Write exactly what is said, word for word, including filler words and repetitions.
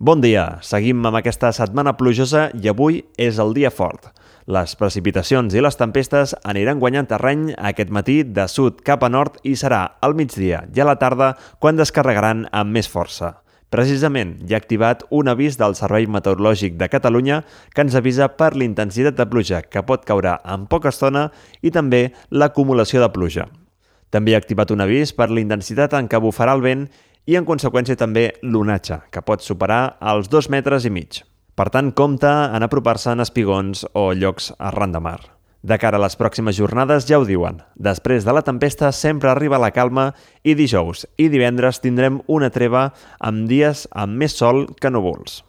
Bon dia, seguim amb aquesta setmana plujosa i avui és el dia fort. Les precipitacions i les tempestes aniran guanyant terreny aquest matí de sud cap a nord i serà al migdia i a la tarda quan descarregaran amb més força. Precisament hi ha activat un avís del Servei Meteorològic de Catalunya que ens avisa per l'intensitat de pluja que pot caure en poca estona i també l'acumulació de pluja. També hi ha activat un avís per l'intensitat en què bufarà el vent i en conseqüència també l'onatge, que pot superar els dos metres i mig. Per tant, compte en apropar-se en espigons o llocs arran de mar. De cara a les pròximes jornades ja ho diuen. Després de la tempesta sempre arriba la calma i dijous i divendres tindrem una treva amb dies amb més sol que núvols.